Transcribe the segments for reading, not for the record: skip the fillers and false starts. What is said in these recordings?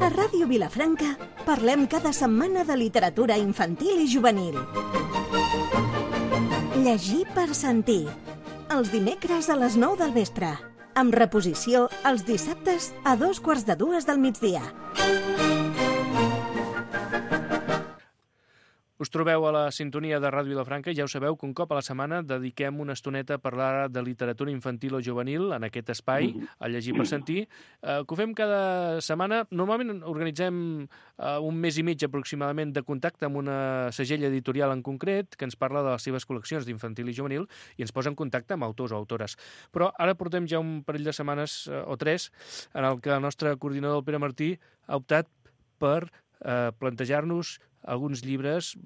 A Ràdio Vilafranca parlem cada setmana de literatura infantil i juvenil. Llegir per sentir. Els dimecres a les 9 del vespre. Amb reposició els dissabtes a 2:45 del migdia. Us trobeu a la sintonia de Ràdio Vilafranca i ja ho sabeu que un cop a la setmana dediquem una estoneta a parlar de literatura infantil o juvenil en aquest espai, a Llegir per sentir, que ho fem cada setmana. Normalment organitzem un mes i mig aproximadament de contacte amb una segell editorial en concret que ens parla de les seves col·leccions d'infantil i juvenil i ens posa en contacte amb autors o autores. Però ara portem ja un parell de setmanes o tres en el que el nostre coordinador, el Pere Martí, ha optat per plantejar-nos alguns llibres,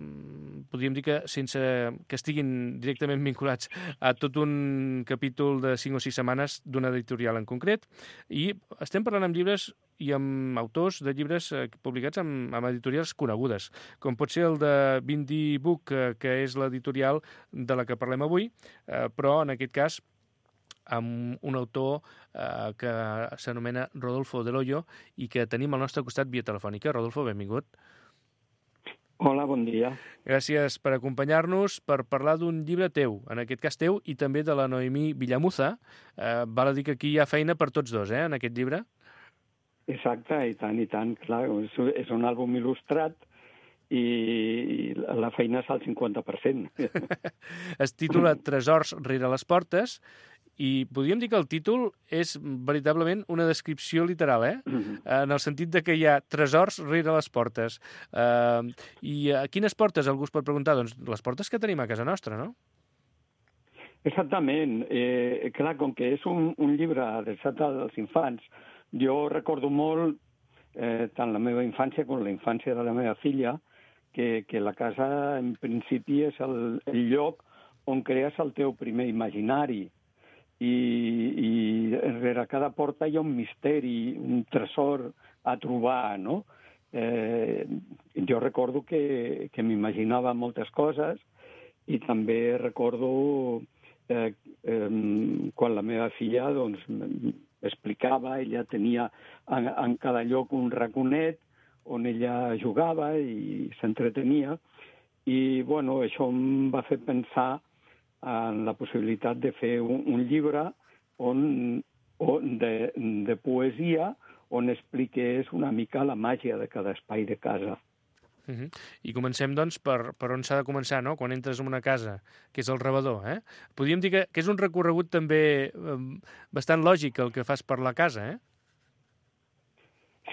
podríem dir que sense que estiguin directament vinculats a tot un capítol de 5 o 6 setmanes d'una editorial en concret, i estem parlant amb llibres i amb autors de llibres publicats amb editorials conegudes, com pot ser el de Bindi Book, que és l'editorial de la que parlem avui, però en aquest cas amb un autor que s'anomena Rodolfo Del Hoyo i que tenim al nostre costat via telefònica. Rodolfo, benvingut. Hola, bon dia. Gràcies per acompanyar-nos per parlar d'un llibre teu, en aquest cas teu, i també de la Noemí Villamuza. Val a dir que aquí hi ha feina per tots dos, en aquest llibre? Exacte, i tant, clar. És un àlbum il·lustrat i la feina és al 50%. Es titula Tresors rere les portes, i podríem dir que el títol és veritablement una descripció literal, en el sentit de que hi ha tresors rere les portes. I a quines portes algú es pot preguntar? Doncs les portes que tenim a casa nostra, no? Exactament. Clar, com que és un llibre adreçat als infants, jo recordo molt, tant la meva infància com la infància de la meva filla, que la casa, en principi, és el lloc on crees el teu primer imaginari. I rere cada porta hi ha un misteri, un tresor a trobar, no? Jo recordo que m'imaginava moltes coses i també recordo quan la meva filla doncs, explicava, ella tenia en cada lloc un raconet on ella jugava i s'entretenia i bueno, això em va fer pensar en la possibilitat de fer un llibre de poesia on expliqués una mica la màgia de cada espai de casa. I comencem, doncs, per on s'ha de començar, no? Quan entres en una casa, que és el rebedor, Podríem dir que és un recorregut també bastant lògic el que fas per la casa,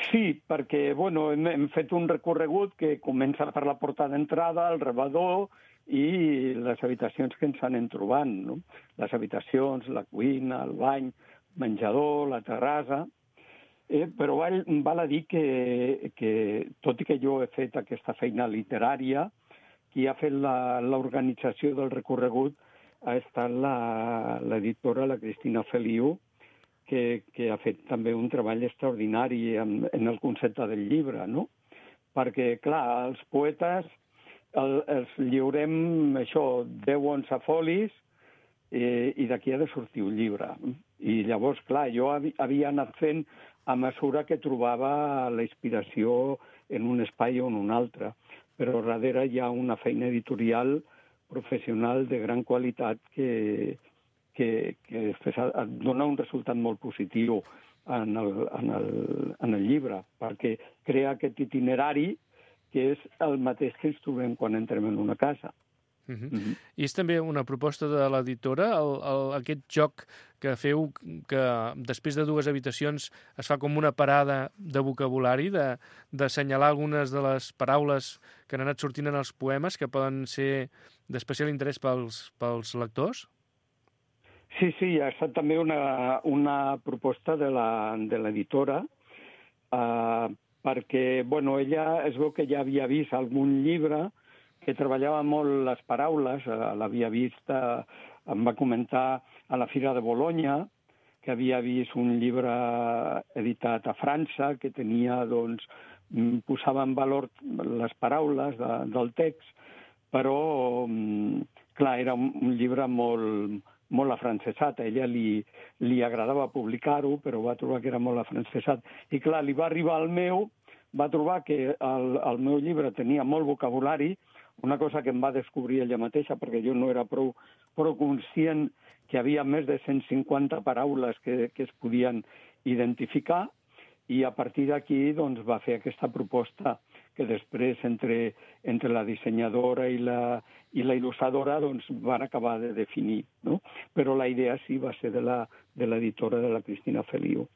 Sí, perquè, bueno, hem fet un recorregut que comença per la porta d'entrada, el rebedor, i les habitacions que ens anem trobant, no? Les habitacions, la cuina, el bany, menjador, la terrassa. Però val a dir que, tot i que jo he fet aquesta feina literària, qui ha fet l'organització del recorregut ha estat l'editora, la Cristina Feliu, que ha fet també un treball extraordinari en el concepte del llibre, no? Perquè, clar, els poetes els lliurem, 10 o 11 folis i d'aquí ha de sortir un llibre. I llavors, clar, jo havia anat fent a mesura que trobava la inspiració en un espai o en un altre. Però darrere hi ha una feina editorial professional de gran qualitat que dona un resultat molt positiu en el llibre, perquè crea aquest itinerari que és el mateix que ens trobem quan entrem en una casa. I és també una proposta de l'editora, aquest joc que feu, que després de 2 habitacions es fa com una parada de vocabulari, d'assenyalar algunes de les paraules que han anat sortint en els poemes que poden ser d'especial interès pels lectors? Sí, ha estat també una proposta de l'editora, perquè, bueno, ella es veu que ja havia vist algun llibre que treballava molt les paraules, l'havia vist, em va comentar a la Fira de Bologna, que havia vist un llibre editat a França, que tenia, doncs, posava en valor les paraules del text, però, clar, era un llibre molt, molt afrancesat. A ella li agradava publicar-ho, però va trobar que era molt afrancesat. I clar, li va arribar al meu, va trobar que el meu llibre tenia molt vocabulari, una cosa que em va descobrir ella mateixa, perquè jo no era prou conscient que hi havia més de 150 paraules que es podien identificar, i a partir d'aquí doncs, va fer aquesta proposta que després entre la dissenyadora i la il·lustradora doncs, van acabar de definir, no? Però la idea sí va ser de l'editora, de la Cristina Feliu.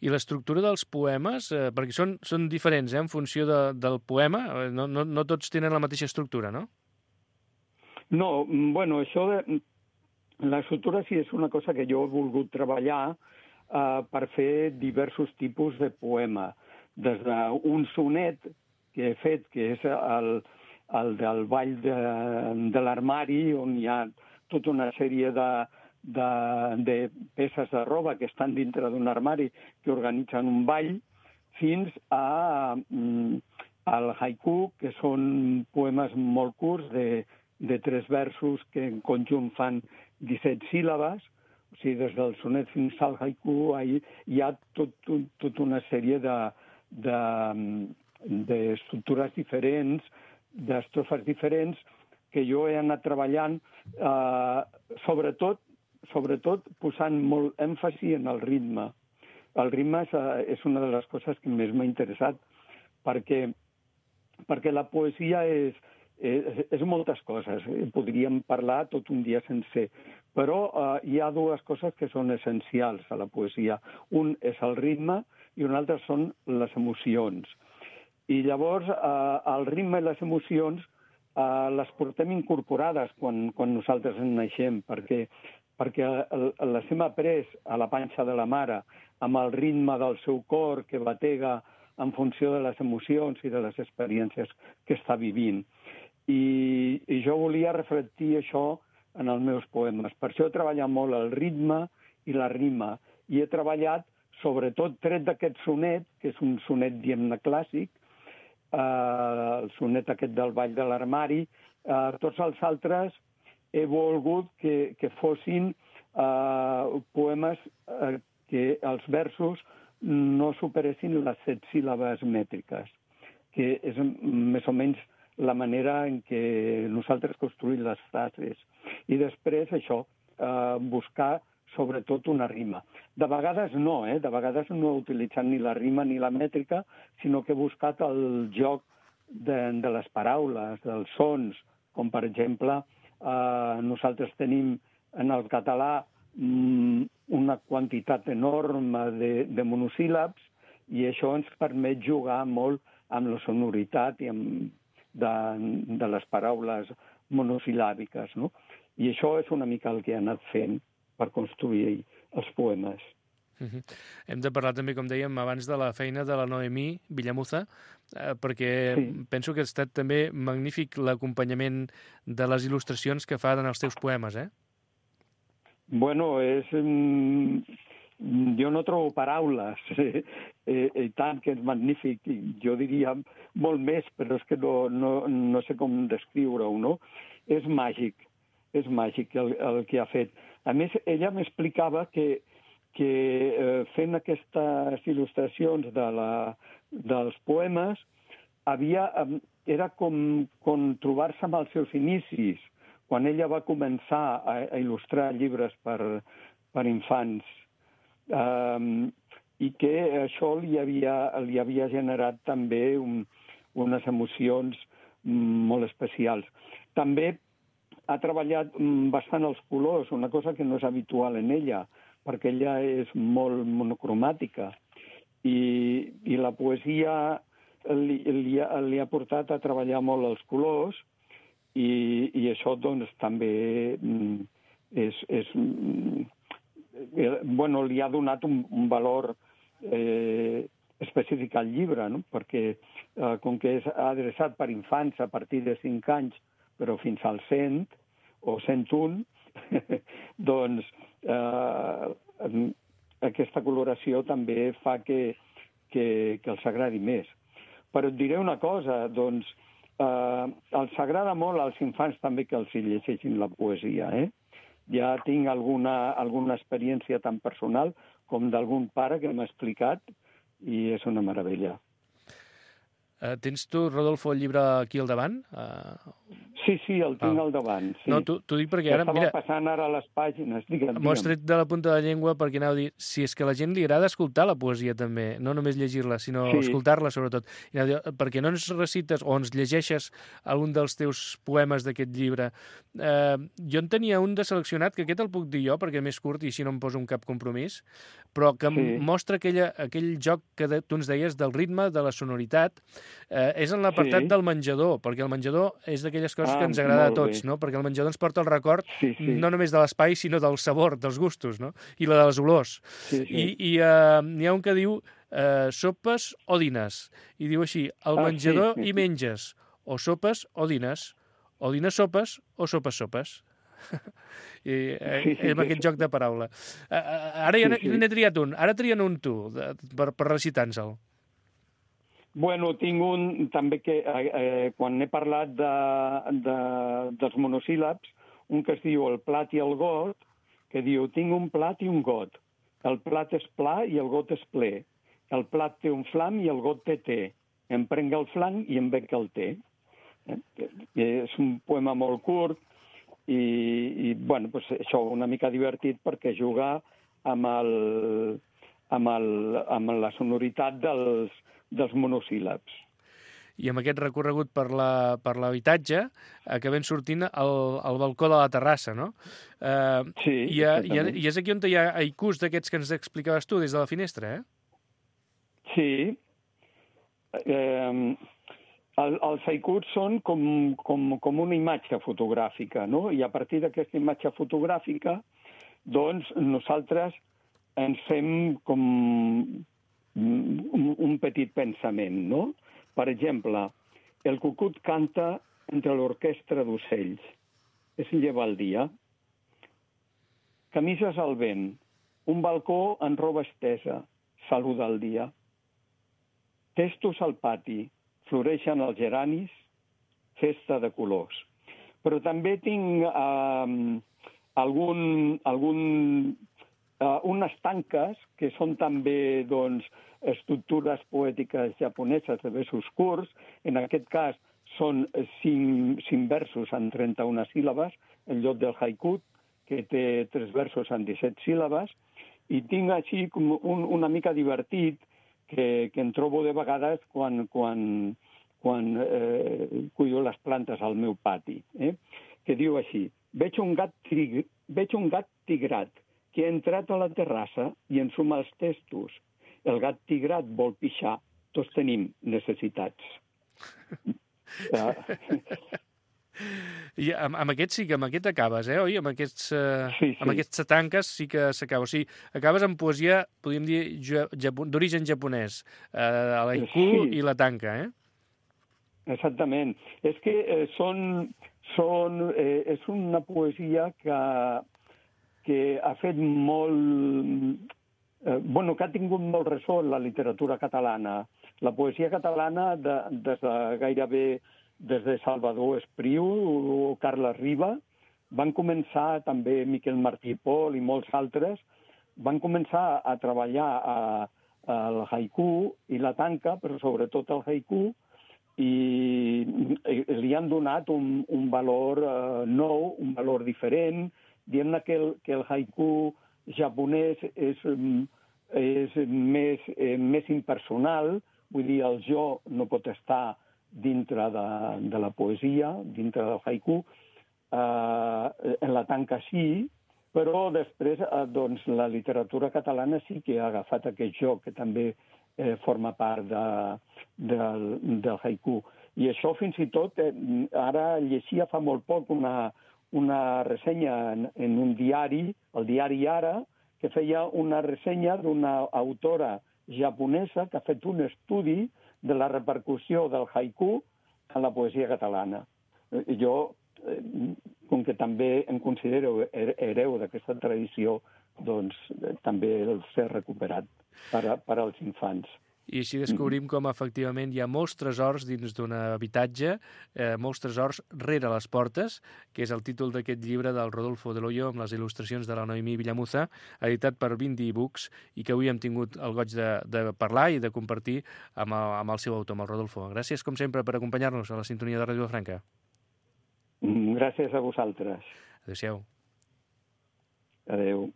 I l'estructura dels poemes, perquè són diferents en funció del poema, no tots tenen la mateixa estructura, no? No, bueno, això de l'estructura sí és una cosa que jo he volgut treballar per fer diversos tipus de poema. Des d'un sonet que he fet, que és el del Ball de l'Armari, on hi ha tota una sèrie de peces de roba que estan dintre d'un armari que organitzen un ball, fins al haiku, que són poemes molt curts de 3 versos que en conjunt fan 17 síl·labes. O sigui, des del sonet fins al haiku hi ha tota una sèrie d'estructures diferents, d'estrofes diferents, que jo he anat treballant, sobretot posant molt èmfasi en el ritme. El ritme és una de les coses que més m'ha interessat, perquè la poesia és moltes coses. Podríem parlar tot un dia sencer, però hi ha 2 coses que són essencials a la poesia. Un és el ritme i un altre són les emocions. I llavors el ritme i les emocions les portem incorporades quan nosaltres en naixem, perquè les hem après a la panxa de la mare amb el ritme del seu cor que batega en funció de les emocions i de les experiències que està vivint. I jo volia reflectir això en els meus poemes. Per això he treballat molt el ritme i la rima. I he treballat, sobretot, tret d'aquest sonet, que és un sonet, diguem-ne, clàssic, el sonet aquest del Ball de l'Armari, tots els altres he volgut que fossin poemes que els versos no superessin les 7 síl·labes mètriques, que és més o menys la manera en què nosaltres construïm les frases. I després, això, buscar sobretot una rima. De vegades no, de vegades no he utilitzat ni la rima ni la mètrica, sinó que he buscat el joc de les paraules, dels sons, com per exemple, nosaltres tenim en el català una quantitat enorme de monosíl·labs, i això ens permet jugar molt amb la sonoritat i de les paraules monosil·làbiques, no? I això és una mica el que he anat fent per construir els poemes. Hem de parlar també, com dèiem, abans de la feina de la Noemí Villamuza, perquè penso que ha estat també magnífic l'acompanyament de les il·lustracions que fa en els teus poemes, Bueno, jo no trobo paraules, i tant que és magnífic, jo diria molt més, però és que no sé com descriure-ho, no? És màgic el que ha fet. A més, ella m'explicava que fent aquestes il·lustracions dels poemes era com trobar-se amb els seus inicis, quan ella va començar a il·lustrar llibres per infants, i que això li havia generat també unes emocions molt especials. També ha treballat bastant els colors, una cosa que no és habitual en ella, perquè ella és molt monocromàtica. I la poesia li ha portat a treballar molt els colors, i això doncs també li ha donat un valor específic al llibre, no? Perquè com que és adreçat per infants a partir de 5 anys, però fins als 100 o 101, doncs aquesta coloració també fa que els agradi més. Però et diré una cosa, doncs els agrada molt als infants també que els llegeixin la poesia, ja tinc alguna experiència tan personal com d'algun pare que m'ha explicat i és una meravella. Tens tu, Rodolfo, el llibre aquí al davant? Sí, el tinc al davant. Sí. No, t'ho dic perquè ara, mira... Estava passant ara les pàgines, digue'm. M'ho has tret de la punta de la llengua perquè anava a dir, si és que a la gent li agrada escoltar la poesia també, no només llegir-la, sinó escoltar-la sobretot. I anava a dir, perquè no ens recites o ens llegeixes algun dels teus poemes d'aquest llibre. Jo en tenia un de seleccionat, que aquest el puc dir jo, perquè és més curt i així no em poso un cap compromís, però que mostra aquell joc que tu ens deies del ritme, de la sonoritat. És en l'apartat del menjador, perquè el menjador és d'aquelles coses que ens agrada a tots, no? Perquè el menjador ens porta el record no només de l'espai, sinó del sabor, dels gustos, no? I la de les olors. I n'hi ha un que diu sopes o dines. I diu així, al menjador hi menges o sopes o dines sopes o sopes. I amb aquest joc de paraula. Ara ja n'he triat un. Ara trien un tu, per recitar-nos-el. Bueno, tinc un també que, quan he parlat dels monosíl·labs, un que es diu el plat i el got, que diu, tinc un plat i un got. El plat és pla i el got és ple. El plat té un flam i el got té té. Em prenc el flam i em bec el té. És un poema molt curt i bueno, pues això, una mica divertit perquè juga amb la sonoritat dels monosíl·labs. I amb aquest recorregut per l'habitatge acabem sortint al balcó de la terrassa, no? I és aquí on hi ha haikus d'aquests que ens explicaves tu des de la finestra, eh? Sí. Els haikus són com una imatge fotogràfica, no? I a partir d'aquesta imatge fotogràfica, doncs, nosaltres ens fem com un petit pensament, no? Per exemple, el cucut canta entre l'orquestra d'ocells. Es lleva el dia. Camises al vent. Un balcó en roba estesa. Saluda el dia. Testos al pati. Floreixen els geranis. Festa de colors. Però també tinc unes tanques que són també, doncs, estructures poètiques japoneses de versos curts. En aquest cas són 5 versos en 31 síl·labes, en lloc del haiku, que té 3 versos en 17 síl·labes, i tinc així com una mica divertit que em trobo de vegades quan cuido les plantes al meu pati, que diu així, veig un gat tigrat que ha entrat a la terrassa i ensuma els testos. El gat tigrat vol pixar, tots tenim necessitats. I amb aquest sí que amb aquest acabes, oi? Amb aquests tanques sí que s'acaba. O sigui, acabes amb poesia, podríem dir, d'origen japonès, a l'haiku i la tanca, eh? Exactament. És que és una poesia que ha fet molt... que ha tingut molt ressò en la literatura catalana. La poesia catalana, gairebé des de Salvador Espriu o Carles Riba, van començar també Miquel Martí i Pol i molts altres, van començar a treballar el haiku i la tanca, però sobretot el haiku, i li han donat un valor nou, un valor diferent, dient que el haiku japonès és més impersonal, vull dir, el jo no pot estar dintre de la poesia, dintre del haiku, en la tanca sí, però després doncs, la literatura catalana sí que ha agafat aquest joc, que també forma part del haiku. I això fins i tot, ara llegia fa molt poc una ressenya en un diari, el diari Ara, que feia una ressenya d'una autora japonesa que ha fet un estudi de la repercussió del haiku en la poesia catalana. Jo, com que també em considero hereu d'aquesta tradició, doncs també el sé recuperat per als infants. i així descobrim com efectivament hi ha molts tresors dins d'un habitatge, molts tresors rere les portes, que és el títol d'aquest llibre del Rodolfo Del Hoyo amb les il·lustracions de la Noemí Villamuza, editat per Bindi Books, i que avui hem tingut el goig de parlar i de compartir amb el seu autor, amb el Rodolfo. Gràcies, com sempre, per acompanyar-nos a la sintonia de Ràdio Vilafranca. Gràcies a vosaltres. Adéu-siau. Adéu.